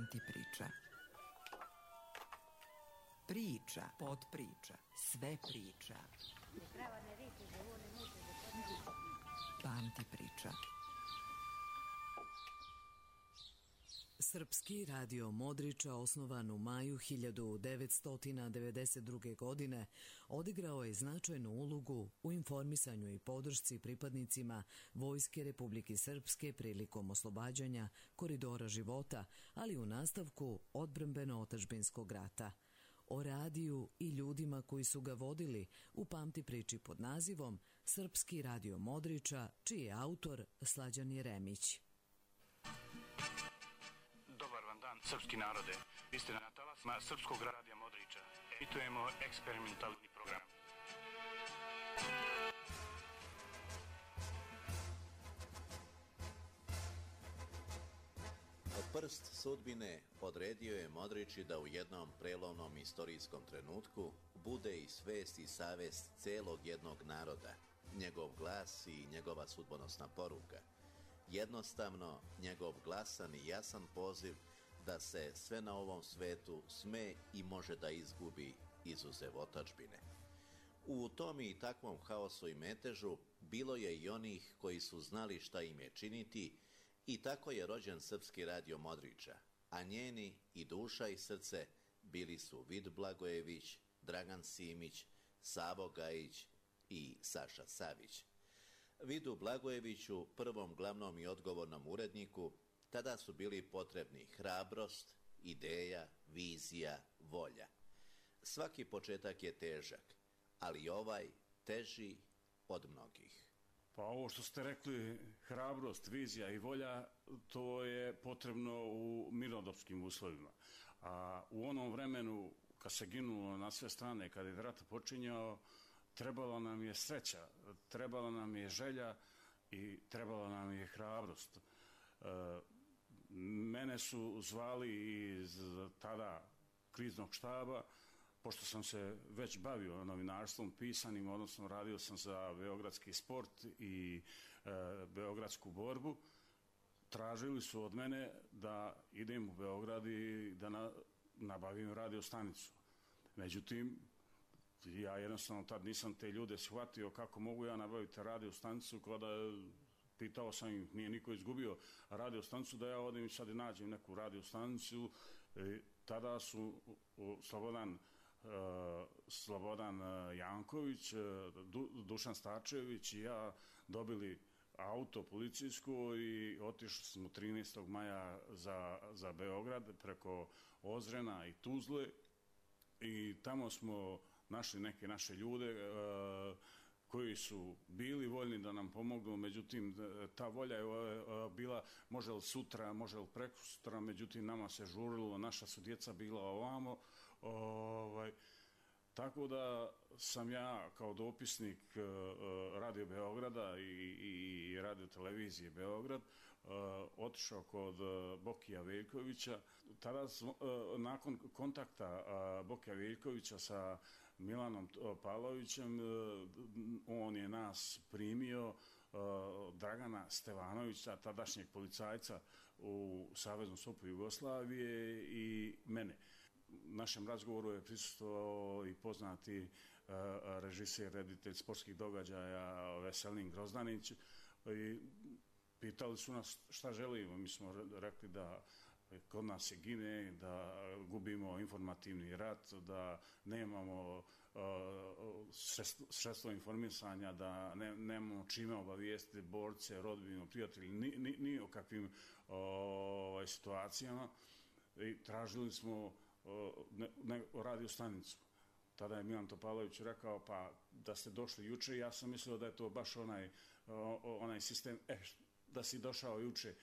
Pamti priča. Priča, podpriča, sve priča. Pamti priča. Srpski radio Modriča, osnovan u maju 1992. godine, odigrao je značajnu ulogu u informisanju i podršci pripadnicima Vojske Republike Srpske prilikom oslobađanja koridora života, ali u nastavku odbrambeno-otadžbinskog rata. O radiju i ljudima koji su ga vodili u pamti priči pod nazivom Srpski radio Modriča, čiji je autor Slađan Jeremić. Dobar vam dan, srpski narode. Vi ste na talasima Srpskog radija Modriča. Emitujemo eksperimentalni program. Prst sudbine odredio je Modriči da u jednom prelomnom istorijskom trenutku bude i svest i savest celog jednog naroda, njegov glas i njegova sudbonosna poruka. Jednostavno, njegov glasan i jasan poziv da se sve na ovom svetu sme i može da izgubi izuzev otadžbine. U tom i takvom haosu i metežu bilo je i onih koji su znali šta im je činiti i tako je rođen Srpski radio Modriča, a njeni i duša i srce bili su Vid Blagojević, Dragan Simić, Savo Gajić i Saša Savić. Vidu Blagojeviću, prvom glavnom i odgovornom uredniku, tada su bili potrebni hrabrost, ideja, vizija, volja. Svaki početak je težak, ali ovaj teži od mnogih. Pa ovo što ste rekli, hrabrost, vizija i volja, to je potrebno u mirnodopskim uslovima. A u onom vremenu, kad se ginulo na sve strane, kad je rat počinjao, trebala nam je sreća, trebala nam je želja i trebala nam je hrabrost. Mene su zvali iz tada kriznog štaba, pošto sam se već bavio novinarstvom pisanim, odnosno radio sam za beogradski sport i beogradsku borbu. Tražili su od mene da idem u Beograd i da nabavim radio stanicu. Međutim, ja jednostavno tad nisam te ljude shvatio kako mogu ja nabaviti radio stanicu, kada pitao sam ih, nije niko izgubio radio stanicu, da ja odem i sad nađem neku radio stanicu. Tada su Slobodan Janković, Dušan Starčević i ja dobili auto policijsko i otišli smo 13. maja za Beograd preko Ozrena i Tuzle i tamo smo našli neke naše ljude koji su bili voljni da nam pomognu, međutim ta volja je bila može li sutra, može li prekosutra, međutim nama se žurilo, naša su djeca bila ovamo, tako da sam ja kao dopisnik Radio Beograda i Radio Televizije Beograd otišao kod Bokija Veljkovića. Tada nakon kontakta Bokija Veljkovića sa Milanom Pavlovićem, on je nas primio, Dragana Stevanovića, tadašnjeg policajca u Saveznom SOP-u Jugoslavije i mene. Našem razgovoru je prisustvovao i poznati režiser, reditelj sportskih događaja Veselin Grozdanić i pitali su nas šta želimo. Mi smo rekli da kod nas se gine, da gubimo informativni rat, da nemamo sredstvo informisanja, da nemamo čime obavijestiti borce, rodbinu, prijatelji, ni o kakvim situacijama. I tražili smo radio stanicu. Tada je Milan Topalović rekao, pa da ste došli juče, ja sam mislio da je to baš onaj sistem, da si došao juče.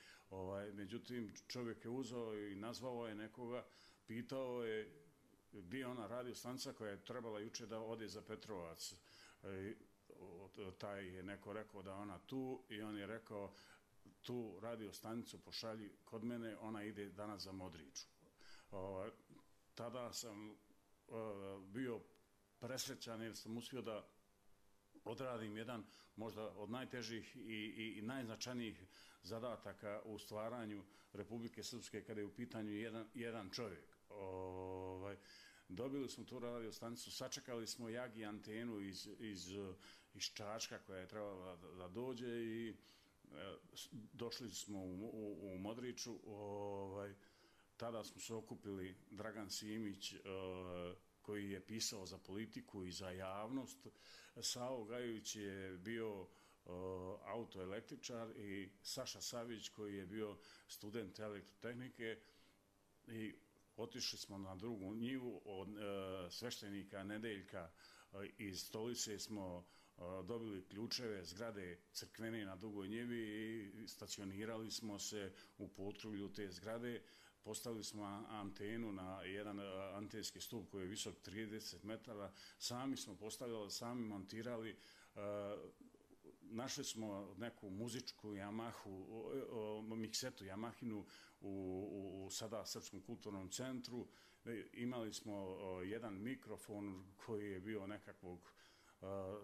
Međutim, čovjek je uzeo i nazvao je nekoga, pitao je gdje je ona radio stanica koja je trebala juče da ode za Petrovac. Taj je neko rekao da ona tu i on je rekao tu radio stanicu pošalji kod mene, ona ide danas za Modriču. Tada sam bio presrećan jer sam uspio da odradim jedan možda od najtežih i najznačajnijih zadataka u stvaranju Republike Srpske kada je u pitanju jedan čovjek. Dobili smo tu radio stanicu, sačekali smo Jagi antenu iz Čačka koja je trebala da dođe i došli smo u Modriču. Tada smo se okupili Dragan Simić koji je pisao za politiku i za javnost, Savo Gajović je bio autoelektričar i Saša Savić koji je bio student elektrotehnike i otišli smo na drugu njivu od sveštenika Nedeljka iz Stolice smo dobili ključeve zgrade crkvene na Dugoj njivi i stacionirali smo se u potrulju te zgrade. Postavili smo antenu na jedan antenski stup koji je visok 30 metara. Sami smo postavljali, sami montirali. Našli smo neku muzičku Yamahu, miksetu Yamahinu u sada Srpskom kulturnom centru. Imali smo jedan mikrofon koji je bio nekakvog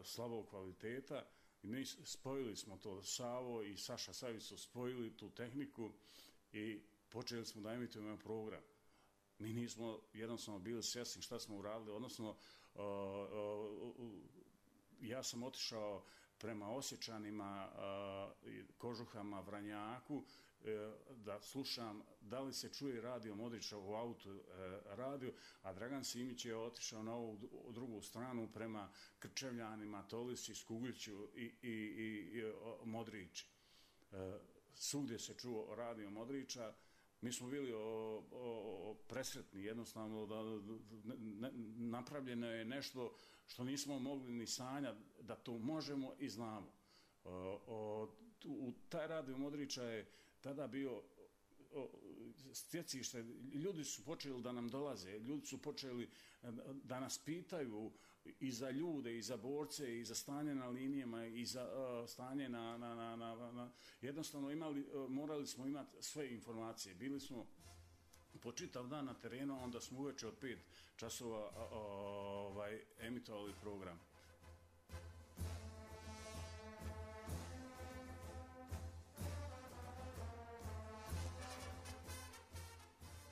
slabog kvaliteta. Mi spojili smo to, Savo i Saša Savić su spojili tu tehniku i počeli smo da emitujemo program. Mi nismo jednostavno bili svjesni šta smo uradili, odnosno ja sam otišao prema Osječanima, Kožuhama, Vranjaku, da slušam da li se čuje radio Modriča u auto radio, a Dragan Simić je otišao na ovu drugu stranu prema Krčevljanima, Tolisi, Skugliću i Modrići. Svugdje se čuo radio Modriča. Mi smo bili presretni, jednostavno da napravljeno je nešto što nismo mogli ni sanjati da to možemo i znamo. Taj radio Modriča je tada bio stjecište, ljudi su počeli da nam dolaze, ljudi su počeli da nas pitaju i za ljude, i za borce, i za stanje na linijama, i za stanje jednostavno morali smo imati sve informacije. Bili smo po čitav dan na terenu, onda smo uveče od 5 časova emitovali program.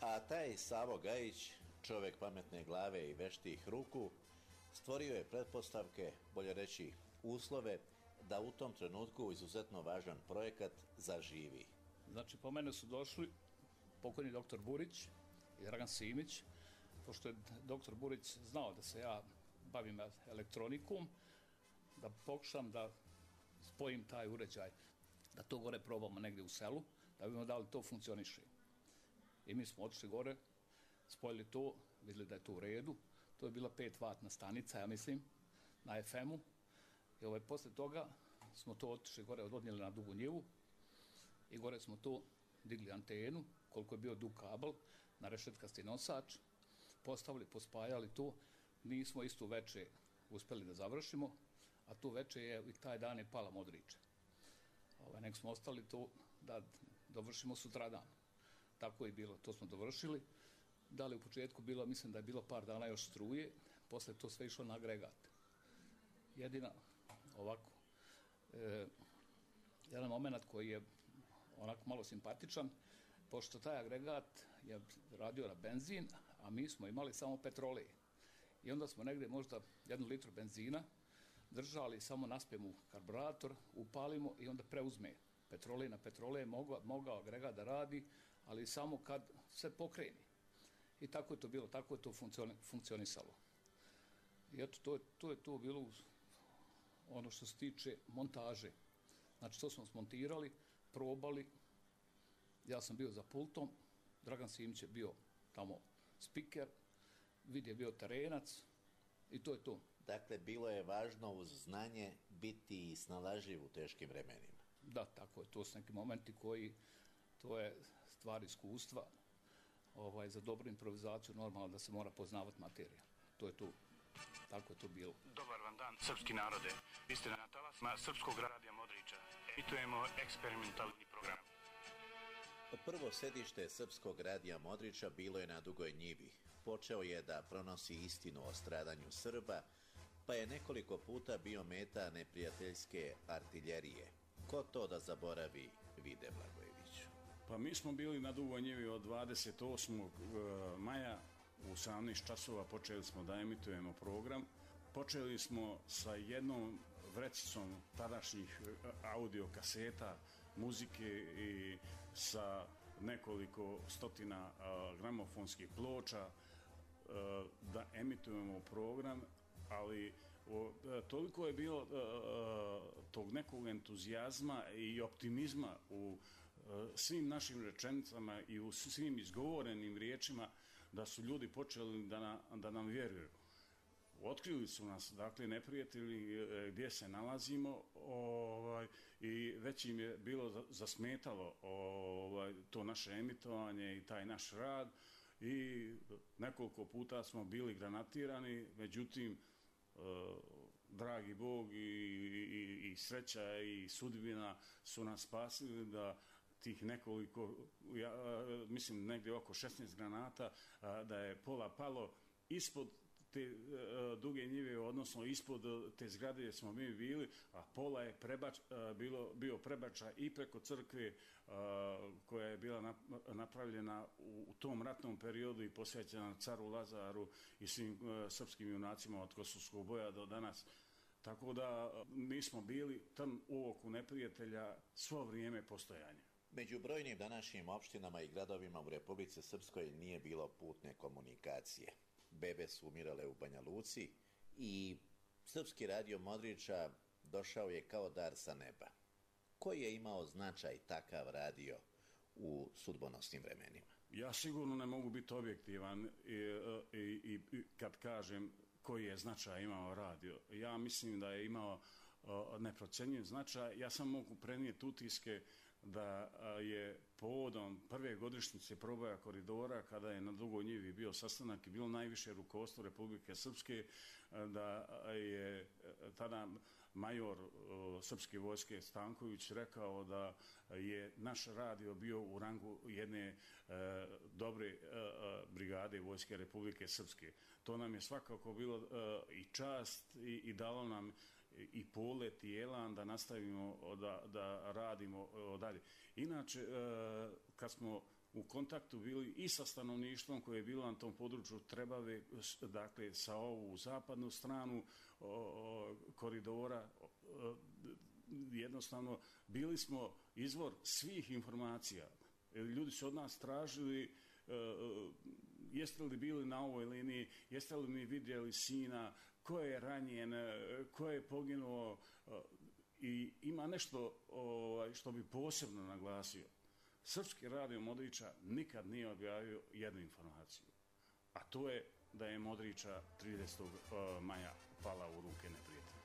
A taj Savo Gajić, čovjek pametne glave i veštih ruku, stvorio je pretpostavke, bolje reći uslove, da u tom trenutku izuzetno važan projekat zaživi. Znači, po mene su došli pokojni doktor Burić i Dragan Simić, pošto je doktor Burić znao da se ja bavim elektronikom, da pokušam da spojim taj uređaj, da to gore probamo negdje u selu, da vidimo da li to funkcioniše. I mi smo otišli gore, spojili to, vidjeli da je to u redu. To je bila 5-vatna stanica, ja mislim, na FM-u. I posle toga smo to otišli gore, odnijeli na Dugu njivu i gore smo to digli antenu, koliko je bio dug kabel, na rešetkasti nosač, postavili, pospajali to. Nismo isto veče uspeli da završimo, a tu veče je i taj dan je pala Modriča. Nek smo ostali to da dovršimo sutradan. Tako je bilo, to smo dovršili. Da li u početku bilo, mislim da je bilo par dana još struje, posle to sve išlo na agregat. Jedina, ovako, jedan moment koji je onako malo simpatičan, pošto taj agregat je radio na benzin, a mi smo imali samo petrolej. I onda smo negdje možda 1 litru benzina držali, samo naspijemo karburator, upalimo i onda preuzme petrolej na petrolej, mogao agregat da radi, ali samo kad se pokreni. I tako je to bilo, tako je to funkcionisalo. I eto, to je to bilo ono što se tiče montaže. Znači, to smo smontirali, probali, ja sam bio za pultom, Dragan Simić je bio tamo spiker, Vid je bio terenac i to je to. Dakle, bilo je važno uz znanje biti snalažljiv u teškim vremenima. Da, tako je, to su neki momenti koji, to je stvar iskustva. Za dobru improvizaciju normalno da se mora poznavati materija. To je to. Tako je to bilo. Dobar vam dan, srpski narode. Vi ste na talasima Srpskog radija Modriča. Emitujemo eksperimentalni program. Prvo sedište Srpskog radija Modriča bilo je na Dugoj njivi. Počeo je da pronosi istinu o stradanju Srba, pa je nekoliko puta bio meta neprijateljske artiljerije. Ko to da zaboravi, Vide Blagojević? Pa mi smo bili na Dugoj njivi od 28. maja u 18 časova počeli smo da emitujemo program. Počeli smo sa jednom vrecicom tadašnjih audio kaseta, muzike i sa nekoliko stotina gramofonskih ploča da emitujemo program, ali toliko je bilo tog nekog entuzijazma i optimizma u svim našim rečenicama i u svim izgovorenim riječima da su ljudi počeli da nam vjeruju. Otkrili su nas, dakle, neprijatelji gdje se nalazimo i već im je bilo zasmetalo to naše emitovanje i taj naš rad i nekoliko puta smo bili granatirani, međutim, dragi Bog i sreća i sudbina su nas spasili da tih nekoliko, mislim negdje oko 16 granata, da je pola palo ispod te Duge njive, odnosno ispod te zgrade gdje smo mi bili, a pola je bio prebačaj i preko crkve koja je bila napravljena u tom ratnom periodu i posvećena caru Lazaru i svim srpskim junacima od Kosovskog boja do danas. Tako da mi smo bili trn u oku neprijatelja svo vrijeme postojanja. Među brojnim današnjim opštinama i gradovima u Republici Srpskoj nije bilo putne komunikacije. Bebe su umirale u Banja Luci i Srpski radio Modriča došao je kao dar sa neba. Koji je imao značaj takav radio u sudbonosnim vremenima? Ja sigurno ne mogu biti objektivan i kad kažem koji je značaj imao radio. Ja mislim da je imao neprocjenjiv značaj. Ja sam mogu prenijeti utiske da je povodom prve godišnjice proboja koridora, kada je na Dugoj njivi bio sastanak i bilo najviše rukovodstvo Republike Srpske, da je tada major srpske vojske Stanković rekao da je naš radio bio u rangu jedne dobre brigade vojske Republike Srpske. To nam je svakako bilo i čast i dalo nam i polet i elan da nastavimo da radimo dalje. Inače, kad smo u kontaktu bili i sa stanovništvom koje je bilo na tom području Trebave, dakle sa ovu zapadnu stranu koridora, jednostavno bili smo izvor svih informacija. Ljudi su od nas tražili jeste li bili na ovoj liniji, jeste li mi vidjeli sina, ko je ranjen, ko je poginuo, i ima nešto što bi posebno naglasio. Srpski radio Modriča nikad nije objavio jednu informaciju, a to je da je Modriča 30. maja pala u ruke neprijatelja.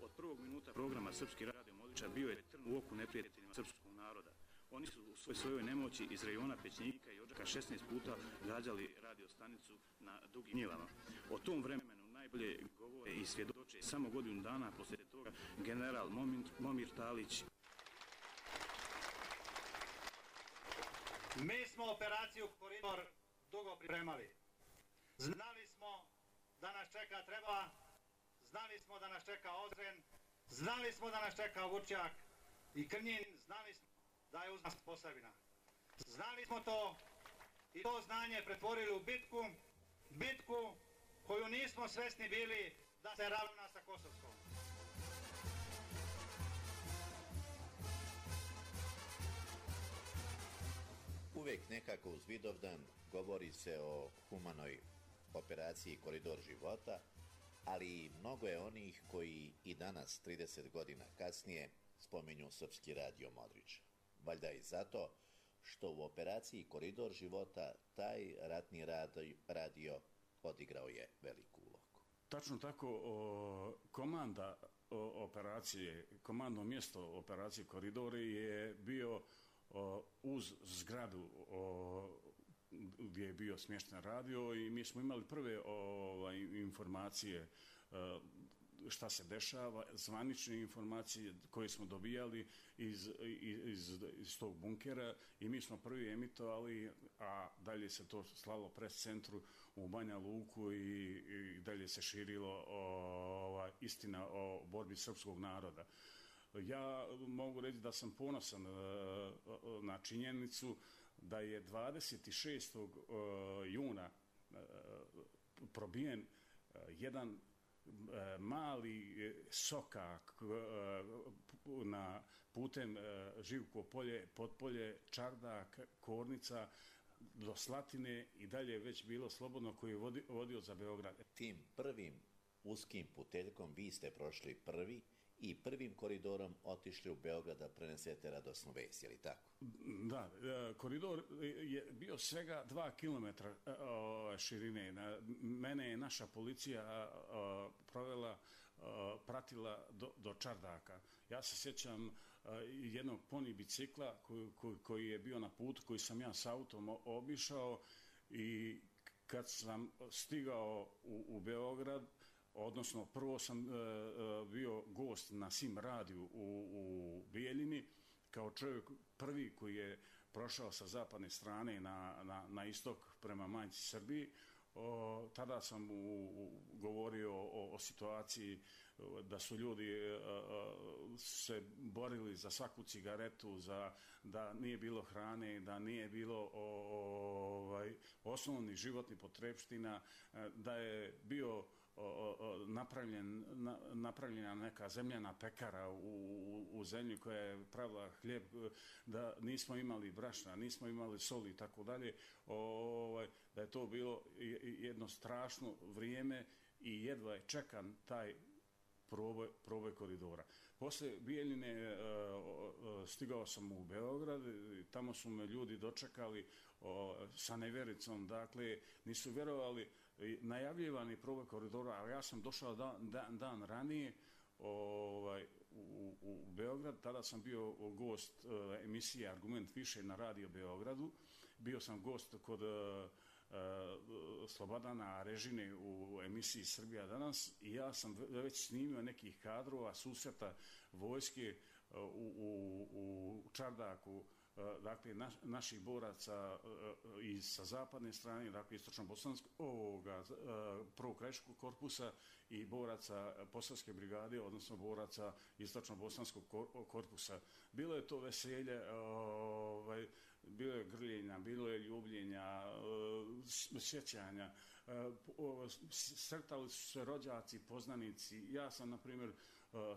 Od prvog minuta programa Srpski radio Modriča bio je trn u oku neprijateljima srpskog naroda. Oni su u svojoj nemoći iz rejona Pećnika i Odžaka 16 puta gađali radio stanicu na Dugim njivama. O tom vremenu najbolje govore i svjedoče samo godinu dana poslije toga general Momir Talić. Mi smo operaciju Koridor dugo pripremali. Znali smo da nas čeka Treba, znali smo da nas čeka Ozren, znali smo da nas čeka Vučjak i Krnjin, znali smo da je uz nas Posavina. Znali smo to i to znanje pretvorili u bitku koju nismo svesni bili da se ravna sa Kosovskom. Uvijek nekako uz Vidovdan govori se o humanoj operaciji Koridor života, ali mnogo je onih koji i danas, 30 godina kasnije, spominju Srpski radio Modriča. Valjda i zato što u operaciji Koridor života taj ratni radio odigrao je veliku ulogu. Tačno tako, komanda operacije, komandno mjesto operacije Koridori je bio uz zgradu gdje je bio smješten radio i mi smo imali prve informacije šta se dešava, zvanične informacije koje smo dobijali iz tog bunkera i mi smo prvi emitovali, a dalje se to slalo pres centru u Banja Luku i dalje se širilo istina o borbi srpskog naroda. Ja mogu reći da sam ponosan na činjenicu da je 26. juna probijen jedan mali sokak na putem Živko polje, Potpolje, Čardak, Kornica do Slatine i dalje već bilo slobodno koji je vodio za Beograd. Tim prvim uskim puteljkom vi ste prošli prvi i prvim koridorom otišli u Beograd da prenesete radosnu vest, je li tako? Da, koridor je bio svega 2 km širine. Mene je naša policija pratila do Čardaka. Ja se sjećam jednog poni bicikla koji je bio na putu, koji sam ja s autom obišao i kad sam stigao u Beograd, odnosno prvo sam bio gost na Sim radiju u Bijeljini, kao čovjek prvi koji je prošao sa zapadne strane na istok prema majci Srbiji. Tada sam govorio o situaciji da su ljudi se borili za svaku cigaretu, da nije bilo hrane, da nije bilo osnovnih životnih potrepština, da je bio napravljena neka zemljana pekara u zemlji koja je pravila hljeb, da nismo imali brašna, nismo imali soli i tako dalje, da je to bilo jedno strašno vrijeme i jedva je čekan taj proboj koridora. Posle Bijeljine stigao sam u Beograd, tamo su me ljudi dočekali sa nevericom, dakle nisu vjerovali, najavljivani proboj koridora, ali ja sam došao dan ranije u Beograd, tada sam bio gost emisije Argument više na Radio Beogradu, bio sam gost kod Slobodana Režine u emisiji Srbija danas i ja sam već snimio nekih kadrova susreta vojske u Čardaku, dakle naših boraca i sa zapadne strane, dakle istočno-bosanskog prvog krajiškog korpusa i boraca Posavske brigade, odnosno boraca istočno-bosanskog korpusa. Bilo je to veselje, bilo je grljenja, bilo je ljubljenja, sjećanja, sretali su se rođaci, poznanici. Ja sam, na primjer,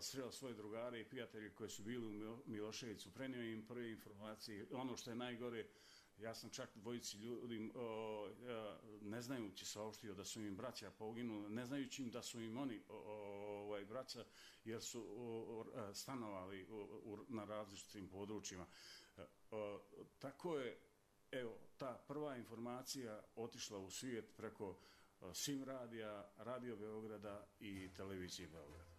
sreo svoje drugare i prijatelje koji su bili u Miloševicu, prenio im prve informacije. Ono što je najgore, ja sam čak dvojici ljudi, ne znajući saopštio da su im braća poginuli, ne znajući im da su im oni braća, jer su stanovali na različitim područjima. Tako je, evo, ta prva informacija otišla u svijet preko Sim radija, Radio Beograda i Televizije Beograda.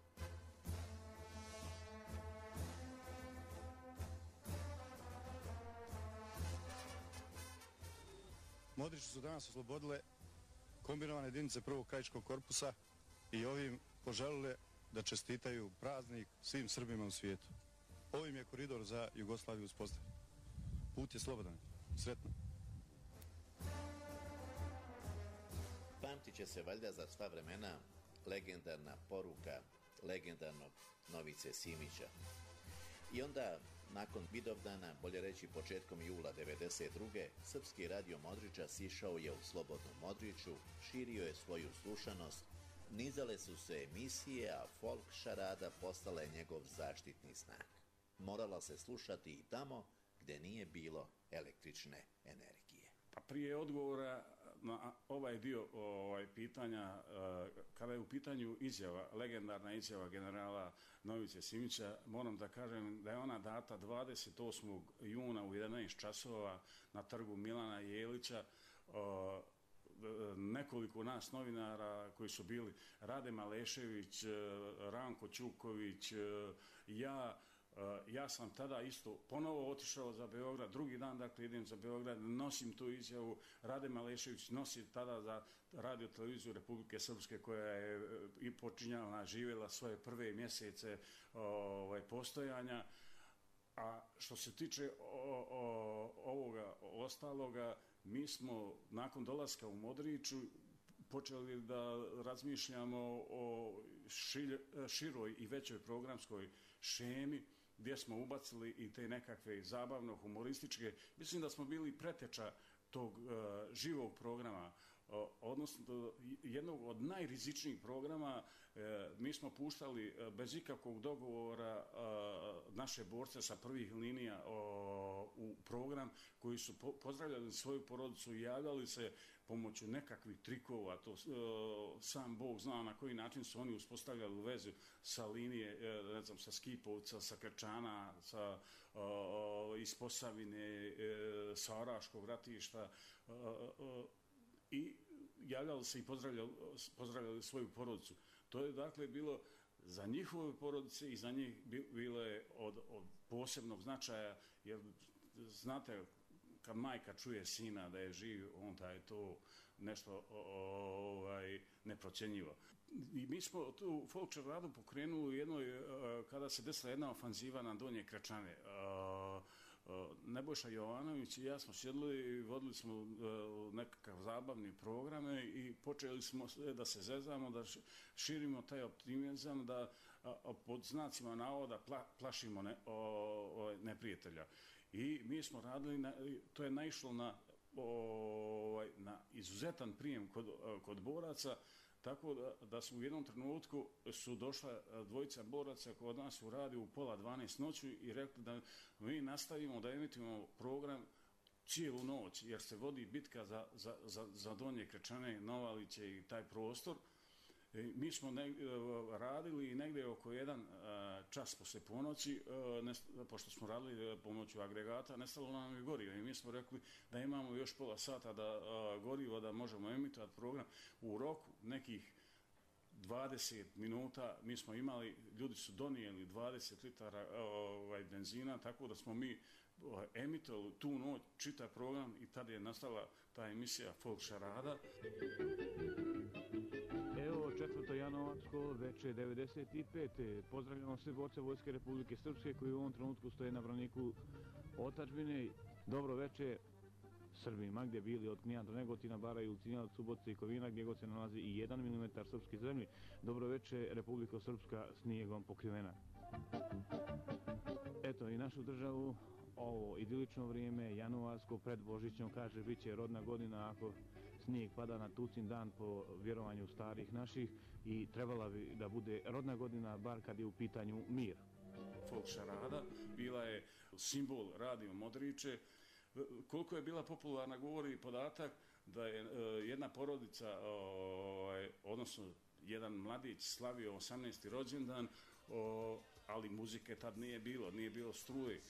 Modrići su danas oslobodile kombinovane jedinice prvog krajiškog korpusa i ovim poželile da čestitaju praznik svim Srbima u svijetu. Ovim je koridor za Jugoslaviju uspostavljen. Put je slobodan. Sretno. Pamtit će se valjda za sva vremena legendarna poruka legendarnog Novice Simića. I onda, nakon Vidovdana, bolje reći početkom jula 1992. Srpski radio Modriča sišao je u slobodnu Modriću, širio je svoju slušanost, nizale su se emisije, a folk šarada postala je njegov zaštitni znak. Morala se slušati i tamo gde nije bilo električne energije. Pa prije odgovora na ovaj dio pitanja, kada je u pitanju izjava, legendarna izjava generala Novice Simića, moram da kažem da je ona data 28. juna u 11 časova na trgu Milana Jelića. Nekoliko nas novinara koji su bili Rade Malešević, Ranko Ćuković, ja, Ja sam tada isto ponovo otišao za Beograd, drugi dan dakle idem za Beograd, nosim tu izjavu, Rade Malešević nosi tada za radio televiziju Republike Srpske koja je i počinjala, živjela svoje prve mjesece postojanja. A što se tiče ovoga ostaloga, mi smo nakon dolaska u Modriču počeli da razmišljamo o široj i većoj programskoj šemi gdje smo ubacili i te nekakve zabavno-humorističke. Mislim da smo bili preteča tog živog programa, odnosno jednog od najrizičnijih programa. Mi smo puštali bez ikakvog dogovora naše borce sa prvih linija u program koji su pozdravljali svoju porodicu i javljali se pomoću nekakvih trikova, to sam Bog zna na koji način su oni uspostavljali vezu sa linije, ne znam, sa Skipovca, sa Krčana, iz Posavine, sa Oraškog ratišta i javljali se i pozdravljali svoju porodicu. To je dakle bilo za njihove porodice i za njih bilo je od posebnog značaja, jer znate, kad majka čuje sina da je živ, onda je to nešto neprocjenjivo. I mi smo tu folk šaradu pokrenuli u jednoj, kada se desila jedna ofanziva na Donje Krečane. Nebojša Jovanović i ja smo sjedli i vodili smo nekakav zabavni programe i počeli smo da se zezamo, da širimo taj optimizam, da pod znacima navoda plašimo neprijatelja. I mi smo radili, to je naišlo na izuzetan prijem kod boraca, tako da su u jednom trenutku su došla dvojica boraca kod nas u radiju u 11:30 noću i rekli da mi nastavimo da emitujemo program cijelu noć, jer se vodi bitka za Donje Krečane, Novaliće i taj prostor. Mi smo radili negdje oko 1 čas poslije ponoći, pošto smo radili pomoću agregata, nestalo nam je gorivo i mi smo rekli da imamo još pola sata gorivo da možemo emitovati program. U roku nekih 20 minuta mi smo imali, ljudi su donijeli 20 litara benzina, tako da smo mi emitovali tu noć čitav program i tada je nastala ta emisija Folk šarada. Evo 4. januarsko veče 95. Pozdravljamo sve borce Vojske Republike Srpske koji u ovom trenutku stoje na braniku otadžbine. Dobro veče Srbima gdje bili od Knina do Negotina, Bara i Ulcinjalac, Subotice i Kovina gdje god se nalazi i 1 mm srpske zemlje. Dobro veče Republika Srpska snijegom pokrivena. Eto i našu državu ovo idilično vrijeme, januarsko pred Božićom, kaže bit će rodna godina ako snijeg pada na tucin dan po vjerovanju starih naših i trebala bi da bude rodna godina bar kad je u pitanju mir. Folk šarada bila je simbol radio Modriče. Koliko je bila popularna govori podatak da je jedna porodica, odnosno jedan mladić slavio 18. rođendan, ali muzike tad nije bilo struje.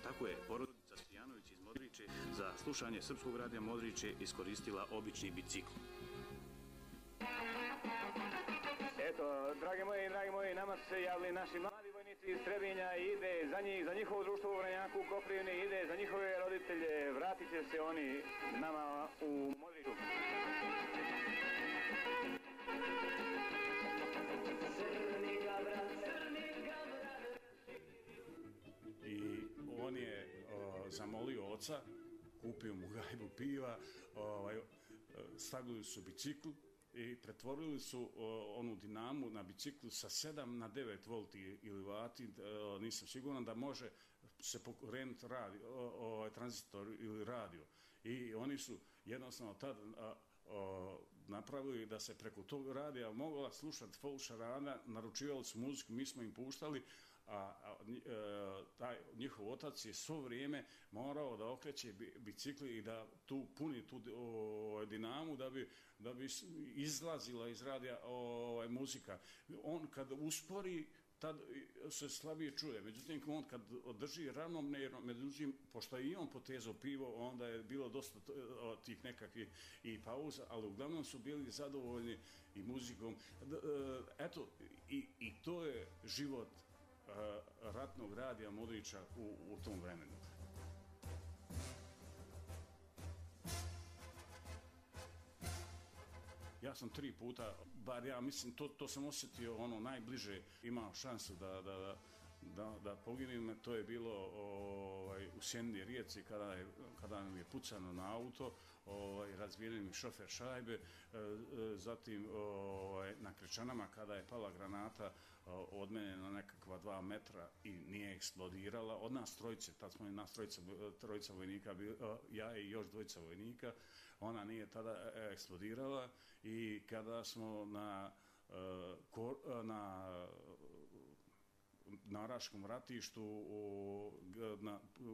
Tako je porodica Stojanović iz Modriče za slušanje Srpskog radija Modriče iskoristila obični bicikl. Eto, dragi moji, nama su se javili naši mladi vojnici iz Trebinja i ide za njih, za njihovo društvo u Vranjaku, u Koprivni, ide za njihove roditelje, vratit će se oni nama u Modriču. I on je zamolio oca, kupio mu gajbu piva, stavili su bicikl i pretvorili su onu dinamu na biciklu sa 7 na 9 volti ili vati, nisam siguran da može se pokrenuti tranzistor ili radio. I oni su jednostavno tad napravili da se preko tog radija mogla slušati folk šarada, naručivali su muziku, mi smo im puštali, taj njihov otac je svo vrijeme morao da okreće bicikli i da puni tu dinamu da bi izlazila iz radija muzika. On kad uspori tad se slabije čuje. Međutim, on kad održi ravnomjerno, međutim, pošto je i on potezao pivo, onda je bilo dosta tih nekakvih i pauza, ali uglavnom su bili zadovoljni i muzikom. Eto, i to je život ratnog radija Modrića u tom vremenu. Ja sam 3 puta, bar ja mislim, to sam osjetio ono najbliže, imao šansu da poginim. To je bilo u Sjenini Rijeci kada nam je pucano na auto, razbijen mi šofer šajbe, zatim na Krečanama kada je pala granata od mene na nekakva 2 metra i nije eksplodirala. Od nas trojice, tad smo i nas trojica vojnika, ja i još 2 vojnika, ona nije tada eksplodirala. I kada smo na Raškom ratištu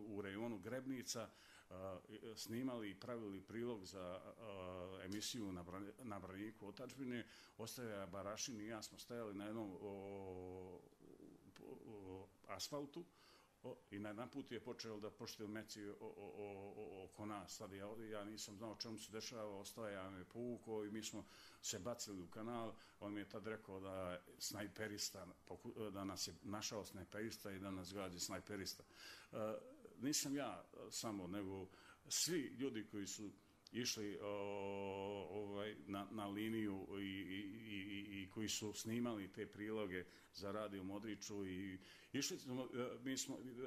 u rejonu Grebnica snimali i pravili prilog za emisiju na braniku otadžbine, Ostavlja Barašin i ja smo stajali na jednom asfaltu i na jedan put je počeo da poštelj meci oko nas. Sad ja nisam znao čemu se dešava, ostaje me povukao i mi smo se bacili u kanal. On mi je tad rekao da snajperista, da nas je našao snajperista i da nas gađa snajperista. Nisam ja samo, nego svi ljudi koji su išli na liniju i koji su snimali te priloge za Radio Modriću i išli smo,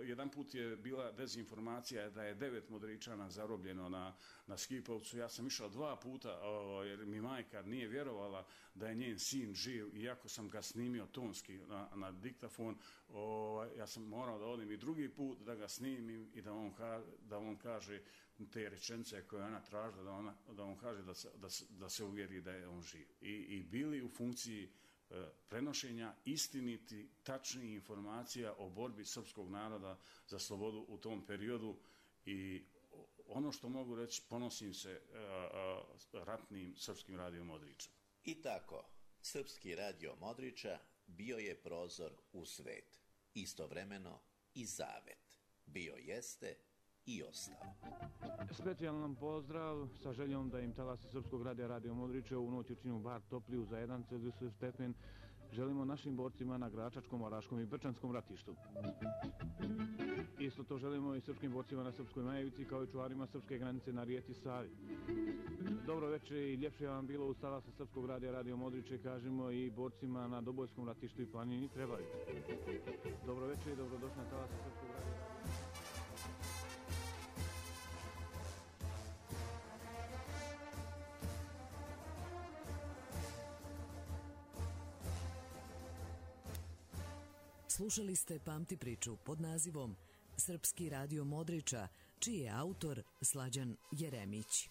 jedan put je bila dezinformacija da je 9 Modričana zarobljeno na Skipovcu. Ja sam išao 2 puta jer mi majka nije vjerovala da je njen sin živ, iako sam ga snimio tonski na diktafon. Ja sam morao da odim i drugi put da ga snimim i da on kaže te rečenice koje ona tražila, da on kaže da se uvjeri da je on živ. I bili u funkciji prenošenja istiniti, tačnih informacija o borbi srpskog naroda za slobodu u tom periodu. I ono što mogu reći, ponosim se ratnim Srpskim radijom Modrića. I tako, Srpski radio Modrića bio je prozor u svet, istovremeno i zavet. Bio jeste i ostao. Specijalan pozdrav sa željom da im talasi Srpskog radija Radio Modrića u noć učinu bar topliju za 1 Celzijusov stepen želimo našim borcima na Gračačkom, Oraškom i Brčanskom ratištu. Isto to želimo i srpskim borcima na Srpskoj Majevici, kao i čuvarima srpske granice na rijeci Savi. Dobro večer i ljepše vam bilo uz talasa Srpskog radija Radio Modriće, kažemo i borcima na Dobojskom ratištu i planini Trebavić. Dobro večer i dobrodošli na talasa Srpskog radija. Slušali ste Pamti priču pod nazivom Srpski radio Modrića, čiji je autor Slađan Jeremić.